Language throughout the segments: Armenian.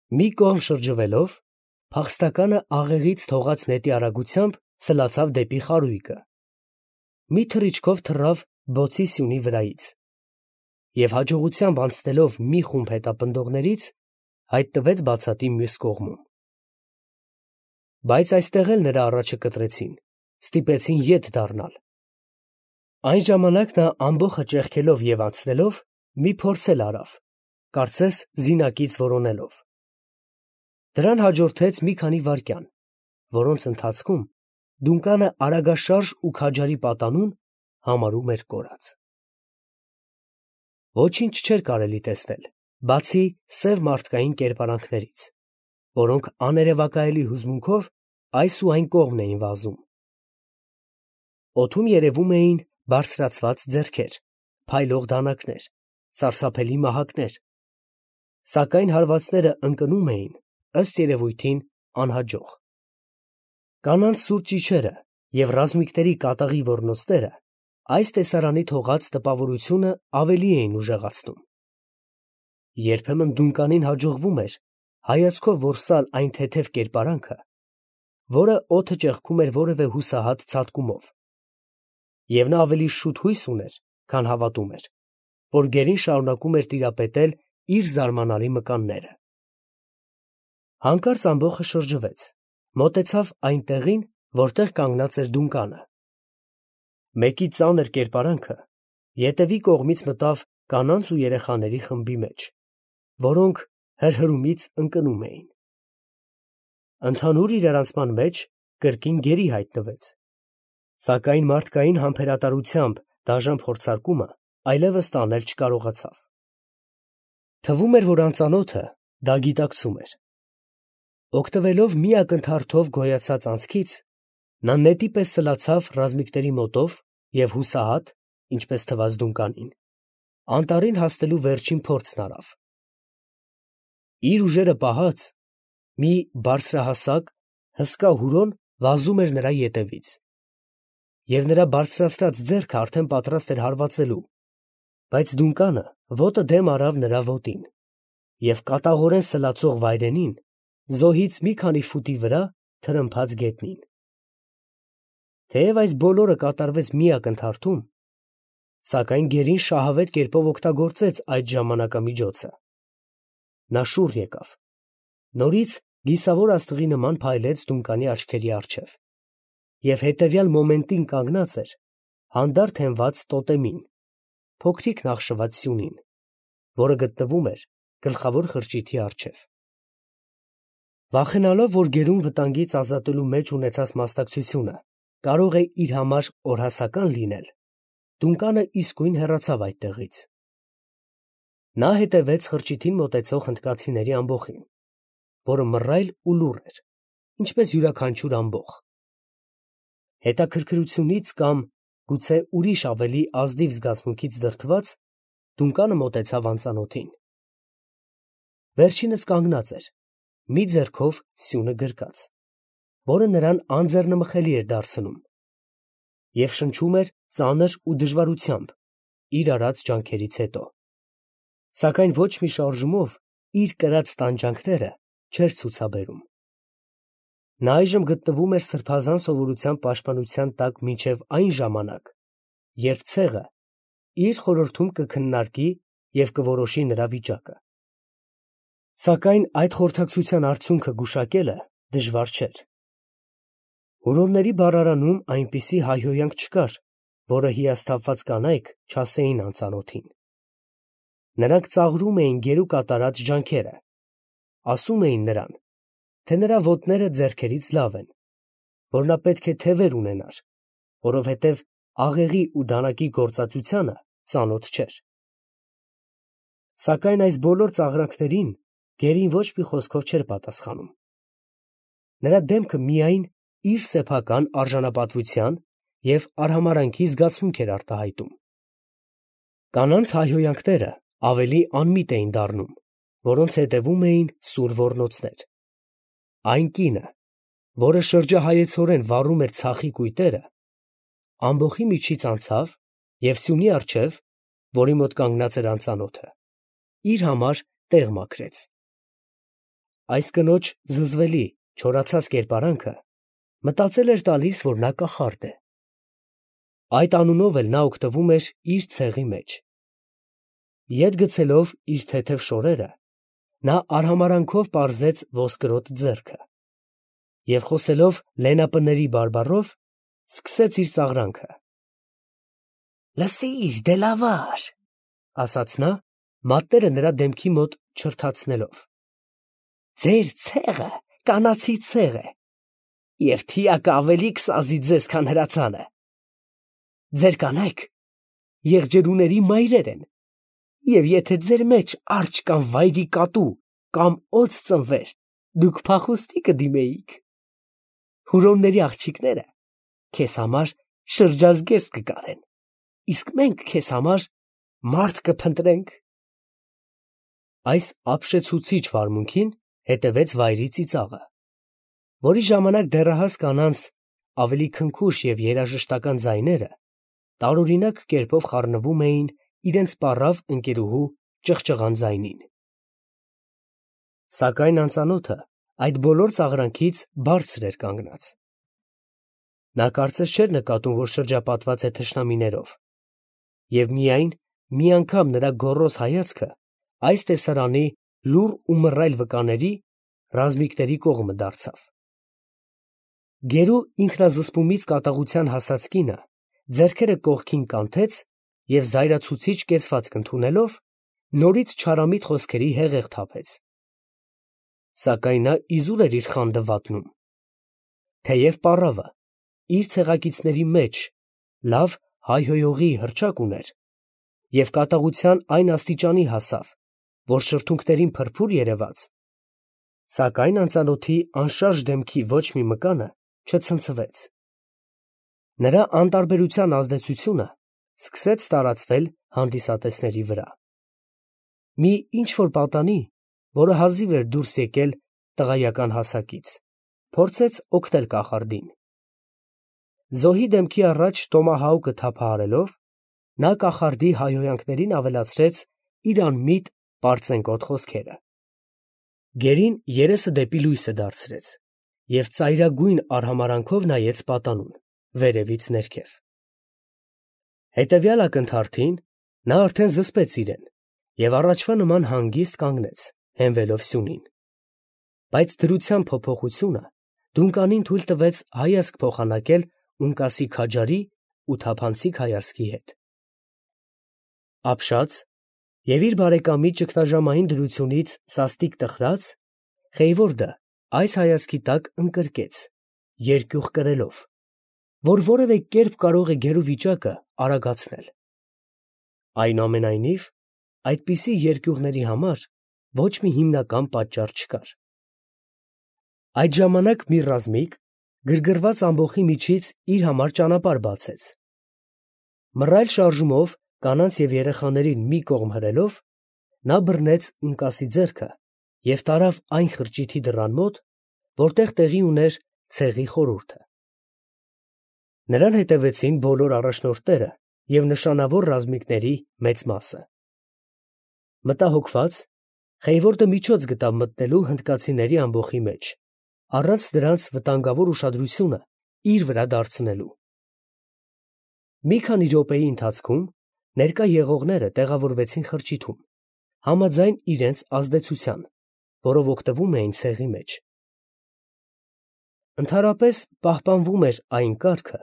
Մի կողմ շրջվելով, փախստականը աղեղից թողած նետի արագությամբ սլացավ դեպի խարույկը, մի թռիչքով թռավ բոցի սյունի վրայից և հաջողությամբ անցնելով մի խումբ հետապնդողներից, հայտնվեց բացատի մյուս կողմում. բայց այստեղ էլ նրա առաջը կտրեցին, ստիպեցին ետ դառնալ. այն ժամանակ նա ամբոխը ճեղքելով և անցնելով, մի փորձ էլ արավ, կարծես զինակից որոնելով. դրան հաջորդեց մի քանի վայրկյան, որոնց ընթացքում Դունկանը արագաշարժ ու քաջարի պատանուն համարում էր կորած։ Ոչինչ չէր կարելի տեսնել, բացի սև մարդկային կերպարանքներից, որոնք աներևակայելի հուզմունքով այս ու այն կողմն էին վազում։ Օդում երևում էին բարձրացված ձեռքեր, փայլող դանակներ, սարսափելի մահակներ, սակայն հարվածները ընկնում էին, ըստ երևույթին, անհաջող։ Կանանց սուր ճիչերը և ռազմիկների կատաղի ոռնոցները այս տեսարանի թողած տպավորությունը ավելի էին ուժեղացնում։ Երբեմն Դունկանին հաջողվում էր հայացքով որսալ այն թեթև կերպարանքը, որը օդը ճեղքում էր որևէ հուսահատ ցատկումով, և նա ավելի շուտ հույս ուներ, քան հավատում էր, որ գերին շարունակում էր տիրապետել իր զարմանալի մկանները։ Հանկարծ ամբոխը շրջվեց, մոտեցավ այն տեղին, որտեղ կանգնած էր Դունկանը։ Մեկի ծանր կերպարանքը ետևի կողմից մտավ կանանց ու երեխաների խմբի մեջ, որոնք հրհրումից ընկնում էին։ Ընդհանուր իրարանցման մեջ կրկին գերի հայտնվեց, սակայն մարդկային համբերատարությամբ դաժան փորձարկումը այլևս տանել չկարողացավ։ Թվում էր, որ անծանոթը դա գիտակցում էր։ Օգտվելով մի ակնթարթով գոյացած անցքից, նա նետի պես սլացավ ռազմիկների մոտով և հուսահատ, ինչպես թվաց Դունկանին, անտառին հասնելու վերջին փորձն արավ։ Իր ուժերը պահած, մի բարձրահասակ, հսկա հուրոն վազում էր նրա ետևից, և նրա բարձրացրած ձեռքը արդեն պատրաստ էր հարվածելու, բայց Դունկանը ոտը դեմ արավ նրա ոտին և կատաղորեն սլացող վայրենին զոհից մի քանի ֆուտի վրա թրմփաց գետնին։ Թեև այս բոլորը կատարվեց մի ակնթարթում, սակայն գերին շահավետ կերպով օգտագործեց այդ ժամանակամիջոցը։ Նա շուռ եկավ, նորից գիսավոր աստղի նման փայլեց Դունկանի աչքերի առջև և հետևյալ մոմենտին կանգնած էր հանդարտ հենված տոտեմին, փոքրիկ նախշված սյունին, որը գտնվում էր գլխավոր խրճիթի առջև։ Վախենալով, որ գերուն վտանգից ազատելու մեջ ունեցած մասնակցությունը կարող է իր համար օրհասական լինել, Դունկանը իսկույն հեռացավ այդտեղից։ Նա հետևեց խրճիթին մոտեցող հնդկացիների ամբոխին, որը մռայլ ու լուռ էր, ինչպես յուրաքանչյուր ամբոխ։ Հետաքրքրությունից կամ գուցե ուրիշ ավելի ազնիվ զգացմունքից դրդված, Դունկանը մոտեցավ անծանոթին։ Վերջինս կանգնած էր, մի ձեռքով սյունը գրկած, որը նրան անձեռնմխելի էր դարձնում, և շնչում էր ծանր ու դժվարությամբ իր արած ջանքերից հետո, սակայն ոչ մի շարժումով իր կրած տանջանքները չէր ցուցաբերում։ Նա այժմ գտնվում էր սրբազան սովորության պաշտպանության տակ մինչև այն ժամանակ, երբ ցեղը իր խորհրդում կքննարկի և կորոշի նրա վիճակը։ Սակայն այդ խորհրդակցության արդյունքը գուշակելը դժվար չէր։ Հուրոնների բառարանում այնպիսի հայհոյանք չկար, որը հիասթափված կանայք չասեին անծանոթին։ Նրանք ծաղրում էին գերու կատարած ջանքերը, ասում էին նրան, թե նրա ոտները ձեռքերից լավ են, որ նա պետք է թևեր ունենար, որովհետև աղեղի ու դանակի գործածությանը ծանոթ չէր։ Սակայն այս բոլոր ծաղրանքներին գերին ոչ մի խոսքով չէր պատասխանում։ Նրա դեմքը միայն իր սեփական արժանապատվության և արհամարհանքի զգացմունք էր արտահայտում։ Կանանց հայհոյանքները ավելի անմիտ էին դառնում, որոնց հետևում էին սուր ոռնոցներ։ Այն կինը, որը շրջահայեցորեն վառում էր ցախի կույտերը, ամբոխի միջից անցավ և սյունի առջև, որի մոտ կանգնած էր անծանոթը, իր համար տեղ մաքրեց։ այս կնոջ զզվելի, չորացած կերպարանքը մտածել էր տալիս, որ նա կախարդ է։ Այդ անունով էլ նա օգտվում էր իր ցեղի մեջ։ Ետ գցելով իր թեթև շորերը, նա արհամարանքով պարզեց ոսկրոտ ձեռքը և խոսելով լենապների բարբառով, սկսեց իր ծաղրանքը։ «Լսիր, դելավար», ասաց նա, մատները նրա դեմքի մոտ չրթացնելով. «ձեր ցեղը կանացի ցեղ է, և թիակը ավելի կսազի ձեզ, քան հրացանը։ Ձեր կանայք եղջերուների մայրեր են, և եթե ձեր մեջ արջ կամ վայրի կատու կամ օձ ծնվեր, դուք փախուստի կդիմեիք։ Հուրոնների աղջիկները քեզ համար շրջազգեստ կկարեն, իսկ մենք քեզ համար մարդ կփնտրենք»։ Այս ապշեցուցիչ վարմունքին հետևեց վայրի ծիծաղը, որի ժամանակ դեռահաս կանանց ավելի քնքուշ և երաժշտական ձայները տարօրինակ կերպով խառնվում էին իրենց պառավ ընկերուհու ճղճղան ձայնին։ Սակայն անծանոթը այդ բոլոր ծաղրանքից բարձր էր կանգնած։ Նա կարծես չէր նկատում, որ շրջապատված է թշնամիներով, և միայն մի անգամ նրա գոռոզ հայացքը այս տեսարանի լուռ ու մռայլ վկաների ռազմիկների կողմը դարձավ։ Գերու ինքնազսպումից կատաղության հասած կինը ձեռքերը կողքին կանթեց և զայրացուցիչ կեցվածք ընդունելով, նորից չարամիտ խոսքերի հեղեղ թափեց։ Սակայն նա իզուր էր իր խանդը վատնում։ Թեև պառավը իր ցեղակիցների մեջ լավ հայհոյողի հռչակ ուներ և կատաղության այն աստիճանի հասավ, որ շրթունքներին փրփուր երևաց, սակայն անծանոթի անշարժ դեմքի ոչ մի մկանը չցնցվեց։ Նրա անտարբերության ազդեցությունը սկսեց տարածվել հանդիսատեսների վրա։ Մի ինչ֊որ պատանի, որը հազիվ էր դուրս եկել տղայական հասակից, փորձեց օգնել կախարդին։ Զոհի դեմքի առաջ տոմահաուկը թափահարելով, նա կախարդի հայհոյանքներին ավելացրեց իր անմիտ պարծենկոտ խոսքերը։ Գերին երեսը դեպի լույսը դարձրեց և ծայրագույն արհամարանքով նայեց պատանուն վերևից ներքև։ Հետևյալ ակնթարթին նա արդեն զսպեց իրեն և առաջվա նման հանգիստ կանգնեց, հենվելով սյունին։ Բայց դրության փոփոխությունը դունկանին թույլ տվեց հայացք փոխանակել ունկասի քաջարի ու թափանցիկ հայացքի հետ։ Ապշած և իր բարեկամի ճգնաժամային դրությունից սաստիկ տխրած, Խեյվորդը այս հայացքի տակ ընկրկեց, երկյուղ կրելով, որ որևէ կերպ կարող է գերու վիճակը արագացնել։ Այնուամենայնիվ, այդպիսի երկյուղների համար ոչ մի հիմնական պատճառ չկար։ Այդ ժամանակ մի ռազմիկ գրգռված ամբոխի միջից իր համար ճանապարհ բացեց։ Մռայլ շարժումով կանանց և երեխաներին մի կողմ հրելով, նա բռնեց ունկասի ձեռքը և տարավ այն խրճիթի դռան մոտ, որտեղ տեղի ուներ ցեղի խորհուրդը։ Նրան հետևեցին բոլոր առաջնորդները և նշանավոր ռազմիկների մեծ մասը։ Մտահոգված, Խեյվորդը միջոց գտավ մտնելու հնդկացիների ամբոխի մեջ, առանց դրանց վտանգավոր ուշադրությունը իր վրա դարձնելու։ Մի քանի րոպեի ընթացքում ներկա եղողները տեղավորվեցին խրճիթում, համաձայն իրենց ազդեցության, որով օգտվում էին ցեղի մեջ։ Ընդհանրապես պահպանվում էր այն կարգը,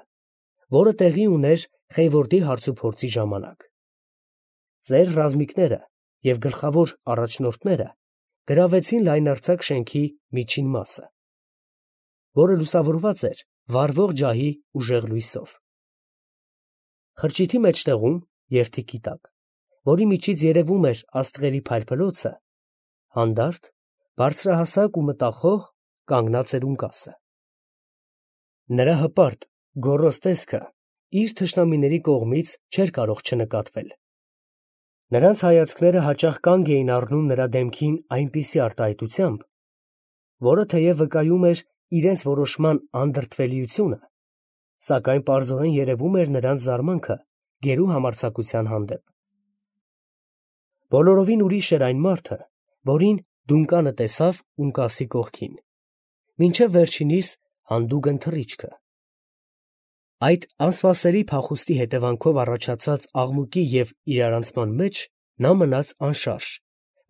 որը տեղի ուներ Խեյվորդի հարցուփորձի ժամանակ։ Ծեր ռազմիկները և գլխավոր առաջնորդները գրավեցին լայնարձակ շենքի միջին մասը, որը լուսավորված էր վառվող ջահի ուժեղ լույսով։ Խրճիթի մեջտեղում, երդիքի տակ, որի միջից երևում էր աստղերի փայլփլոցը, հանդարտ, բարձրահասակ ու մտախոհ կանգնած էր ունկասը։ Նրա հպարտ, գոռոզ տեսքը իր թշնամիների կողմից չէր կարող չնկատվել։ Նրանց հայացքները հաճախ կանգ էին առնում նրա դեմքին այնպիսի արտահայտությամբ, որը թեև վկայում էր իրենց որոշման անդրդվելիությունը, սակայն պարզորեն երևում էր նրանց զարմանքը գերու համարձակության հանդեպ։ Բոլորովին ուրիշ էր այն մարդը, որին Դունկանը տեսավ Ունկասի կողքին, մինչև վերջինիս հանդուգն թռիչքը։ Այդ անսպասելի փախուստի հետևանքով առաջացած աղմուկի և իրարանցման մեջ նա մնաց անշարժ,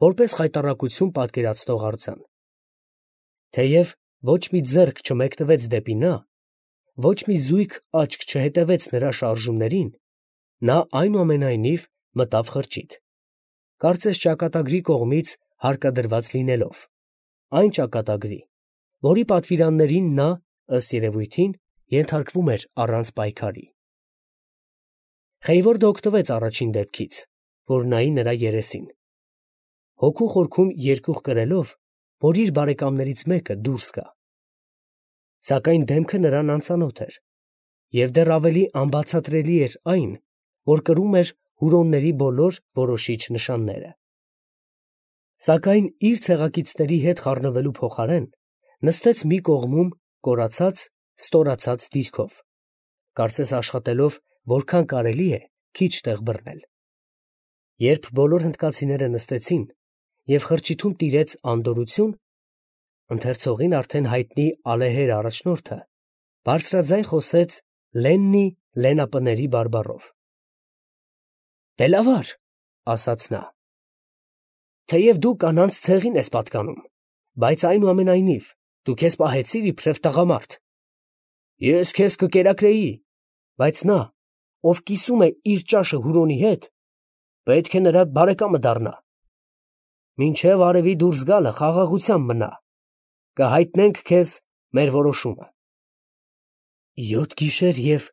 որպես խայտառակություն պատկերացնող արձան։ Թեև ոչ մի ձեռք չմեկնվեց դեպի նա, ոչ մի զույգ աչք չհետևեց նրա շարժումներին, նա այնուամենայնիվ մտավ խրճիթ, կարծես ճակատագրի կողմից հարկադրված լինելով, այն ճակատագրի, որի պատվիրաններին նա, ըստ երևույթին, ենթարկվում էր առանց պայքարի։ Խեյվորդը օգտվեց առաջին դեպքից, որ նայի նրա երեսին, հոգու խորքում երկյուղ կրելով, որ իր բարեկամներից մեկը դուրս գա։ Սակայն դեմքը նրան անծանոթ էր, և դեռ ավելի անբացատրելի էր այն, որ կրում էր հուրոնների բոլոր որոշիչ նշանները։ Սակայն իր ցեղակիցների հետ խառնվելու փոխարեն նստեց մի կողմում կորացած, ստորացած դիրքով, կարծես աշխատելով որքան կարելի է քիչ տեղ բռնել։ Երբ բոլոր հնդկացիները նստեցին և խրճիթում տիրեց անդորրություն, ընթերցողին արդեն հայտնի ալեհեր առաջնորդը բարձրաձայն խոսեց Լեննի լենապների բարբառով։ «Դե լավ, ասաց նա, թեև դու կանանց ցեղին ես պատկանում, բայց այնուամենայնիվ դու քեզ պահեցիր իբրև տղամարդ։ Ես քեզ կկերակրեի, բայց նա, ով կիսում է իր ճաշը Հուրոնի հետ, պետք է նրա բարեկամը դառնա։ Մինչև արևի դուրս գալը խաղաղությամբ մնա, կհայտնենք քեզ մեր որոշումը»։ 7 գիշեր և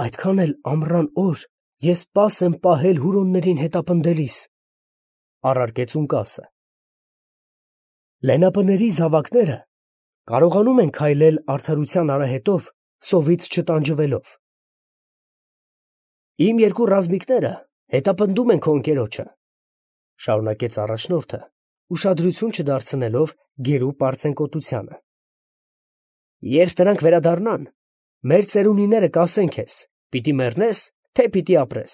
այդքան էլ ամռան օր ես պաս եմ պահել հուրոններին հետապնդելիս, առարկեց Ունկասը։ Լենապների զավակները կարողանում են քայլել արդարության արահետով սովից չտանջվելով։ Իմ երկու ռազմիկները հետապնդում են քո ընկերոջը, շարունակեց առաջնորդը, ուշադրություն չդարձնելով գերու պարծենկոտությանը։ Երբ նրանք վերադառնան, մեր ծերունիները կասեն քեզ, պիտի մեռնես, թե պիտի ապրես։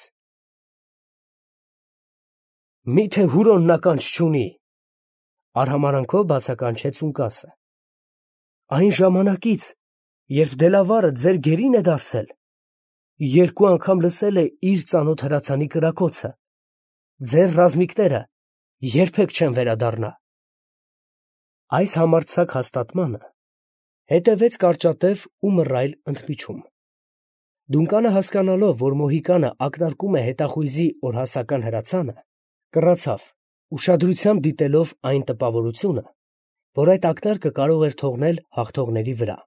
Միթե Հուրոնն ականջ չունի, արհամարանքով բացականչեց Ունկասը։ Այն ժամանակից, երբ Դելավարը ձեր գերին է դարձել, 2 անգամ լսել է իր ծանոթ հրացանի կրակոցը, ձեր ռազմիկները երբեք չեն վերադառնա։ Այս համարձակ հաստատմանը հետևեց կարճատև ու մռայլ ընդմիջում։ Դունկանը հասկանալով, որ Մոհիկանը ակնարկում է հետախույզի օրհասական հրացանը, կռացավ, ուշադրությամբ դիտելով այն տպավորությունը, որ այդ ակնարկը կարող էր թողնել հաղթողների վրա,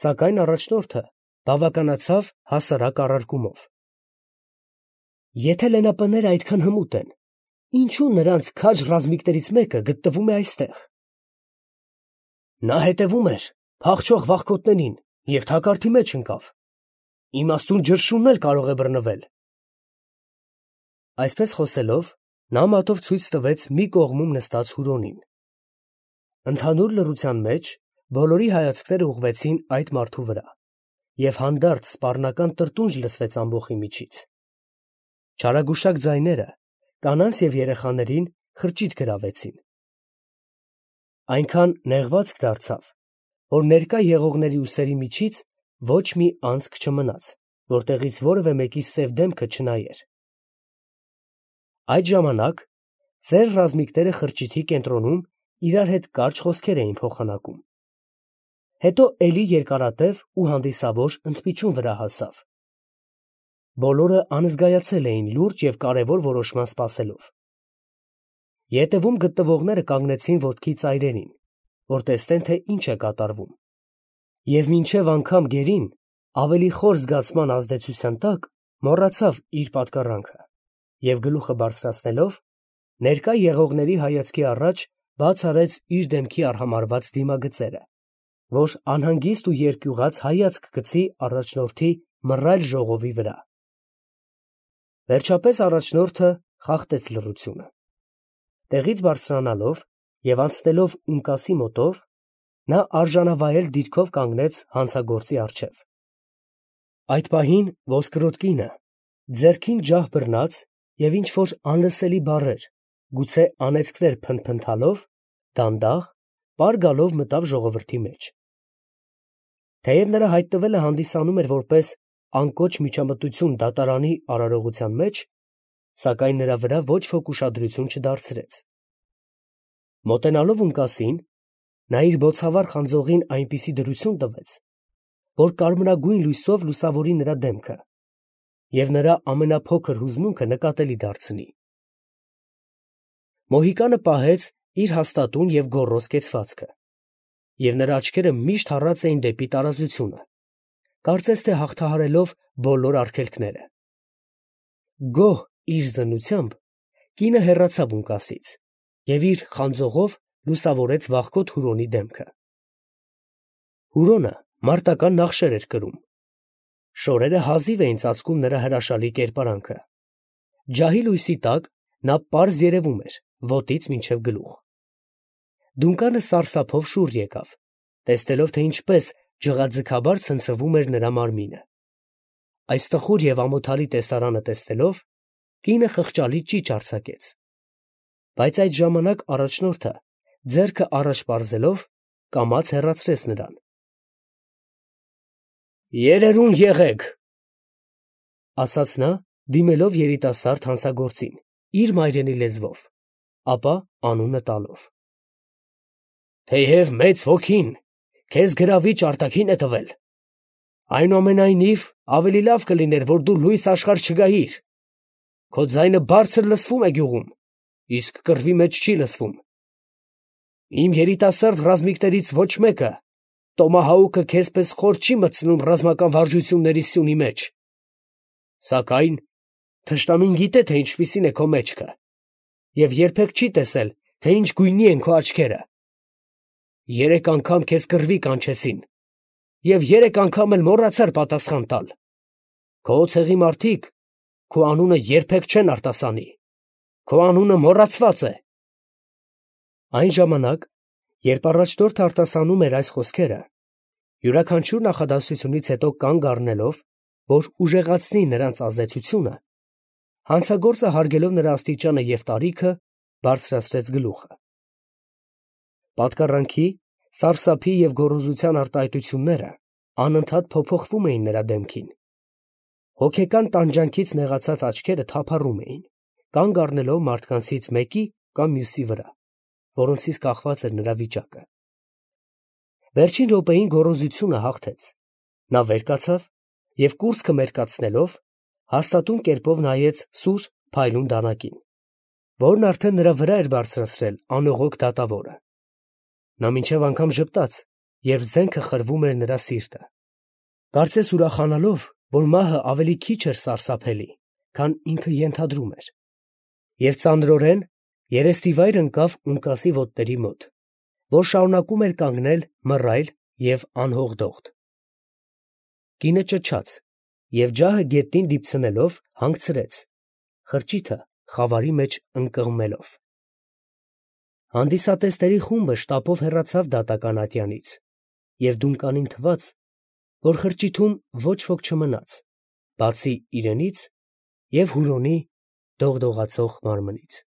սակայն առաջնորդը բավականացավ հասարակ առարկումով։ Եթե լենապները այդքան հմուտ են, ինչու նրանց քաջ ռազմիկներից մեկը գտնվում է այստեղ։ Նա հետևում էր փախչող վախկոտներին և թակարդի մեջ ընկավ։ Իմաստուն ջրշունն էլ կարող է բռնվել։ Այսպես խոսելով, նա մատով ցույց տվեց մի կողմում նստած Հուրոնին։ Ընդհանուր լռության մեջ բոլորի հայացքները ուղղվեցին այդ մարդու վրա, և հանդարտ սպառնական տրտունջ լսվեց ամբոխի միջից։ Չարագուշակ ձայները կանանց և երեխաներին խրճիթ գրավեցին։ Այնքան նեղվածք դարձավ, որ ներկա եղողների ուսերի միջից ոչ մի անցք չմնաց, որտեղից որևէ մեկի սև դեմքը չնայեր։ Այդ ժամանակ ձեր ռազմիկները խրճիթի կենտրոնում իրար հետ կարճ խոսքեր էին փոխանակում։ Հետո էլի երկարատև ու հանդիսավոր ընդմիջում վրա հասավ։ Բոլորը անզգայացել էին լուրջ և կարևոր որոշման սպասելով։ Ետևում գտնվողները կանգնեցին ոտքի ծայրերին, որ տեսնեն, թե ինչ է կատարվում, և մինչև անգամ գերին, ավելի խոր զգացման ազդեցության տակ, մոռացավ իր պատկառանքը և գլուխը բարձրացնելով, ներկա եղողների հայացքի առաջ բաց արեց իր դեմքի արհամարհված դիմագծերը, որ անհանգիստ ու երկյուղած հայացք գցի առաջնորդի մռայլ ժողովի վրա։ Վերջապես առաջնորդը խախտեց լռությունը։ Տեղից բարձրանալով և անցնելով Ունկասի մոտով, նա արժանավայել դիրքով կանգնեց հանցագործի առջև։ Այդ պահին ոսկրոտ կինը, ձեռքին ջահ բռնած և ինչ֊որ անլսելի բառեր, գուցե անեծքներ փնթփնթալով, դանդաղ, պար գալով մտավ ժողովրդի մեջ։ Թեև նրա հայտնվելը հանդիսանում էր որպես անկոչ միջամտություն դատարանի արարողության մեջ, սակայն նրա վրա ոչ ոք ուշադրություն չդարձրեց։ Մոտենալով ունկասին, նա իր բոցավառ խանձողին այնպիսի դրություն տվեց, որ կարմրագույն լույսով լուսավորի նրա դեմքը և նրա ամենափոքր հուզմունքը նկատելի դարձնի։ Մոհիկանը պահեց իր հաստատուն և գոռոզ կեցվածքը, և նրա աչքերը միշտ հառած էին դեպի տարածությունը, կարծես թե հաղթահարելով բոլոր արգելքները։ Գոհ իր զննությամբ, կինը հեռացավ ունկասից և իր խանձողով լուսավորեց վախկոտ Հուրոնի դեմքը։ Հուրոնը մարտական նախշեր էր կրում։ Շորերը հազիվ էին ծածկում նրա հրաշալի կերպարանքը։ Ջահի լույսի տակ նա պարզ երևում էր ոտից մինչև գլուխ։ Դունկանը սարսափով շուռ եկավ, տեսնելով, թե ինչպես ջղաձգաբար ցնցվում էր նրա մարմինը։ Այս տխուր և ամոթալի տեսարանը տեսնելով, կինը խղճալի ճիչ արձակեց։ Բայց այդ ժամանակ առաջնորդը, ձեռքը առաջ պարզելով, կամաց հեռացրեց նրան։ «Երերուն եղեք», ասաց նա, դիմելով երիտասարդ հանցագործին, իր մայրենի լեզվով, ապա անունը տալով. «Թեև մեծ ոգին քեզ գրավիչ արտաքին է տվել, այնուամենայնիվ ավելի լավ կլիներ, որ դու լույս աշխարհ չգայիր. քո ձայնը բարձր լսվում է գյուղում, իսկ կռվի մեջ չի լսվում։ Իմ երիտասարդ ռազմիկներից ոչ մեկը տոմահաուկը քեզպես խոր չի մտցնում ռազմական վարժությունների սյունի մեջ։ Սակայն թշնամին գիտե, թե ինչպիսին է քո մեջքը, և երբեք չի տեսել, թե ինչ գույնի են քո աչքերը։ 3 անգամ քեզ կռվի կանչեցին, և 3 անգամ էլ մոռացար պատասխան տալ։ Քո ցեղի մարդիկ քո անունը երբեք չեն արտասանի, քո անունը մոռացված է»։ Այն ժամանակ, երբ առաջնորդը արտասանում էր այս խոսքերը, յուրաքանչյուր նախադասությունից հետո կանգ առնելով, որ ուժեղացնի նրանց ազդեցությունը, հանցագործը հարգելով նրա աստիճանը և տարիքը, բարձրացրեց գլուխը։ Պատկառանքի, սարսափի և գոռոզության արտահայտությունները անընդհատ փոփոխվում էին նրա դեմքին։ Հոգեկան տանջանքից նեղացած աչքերը թափառում էին, կանգ առնելով մարդկանցից մեկի կամ մյուսի վրա, որոնցից կախված էր նրա վիճակը։ Վերջին րոպեին գոռոզությունը հաղթեց։ Նա վեր կացավ և կուրծքը մերկացնելով, հաստատուն կերպով նայեց սուր փայլուն դանակին, որն արդեն նրա վրա էր բարձրացրել անողոք դատավորը։ Նա մինչև անգամ ժպտաց, երբ զենքը խրվում էր նրա սիրտը, կարծես ուրախանալով, որ մահը ավելի քիչ էր սարսափելի, քան ինքը ենթադրում էր, և ծանրորեն երեստիվայր ընկավ ունկասի ոտների մոտ, որ շարունակում էր կանգնել մռայլ և անհողդողդ։ Կինը ճչաց և ջահը գետնին դիպցնելով հանգցրեց, խրճիթը խավարի մեջ ընկղմելով։ Հանդիսատեսների խումբը շտապով հեռացավ դատական ատյանից, և Դունկանին թվաց, որ խրճիթում ոչ ոք չմնաց, բացի իրենից և Հուրոնի դողդողացող մարմնից։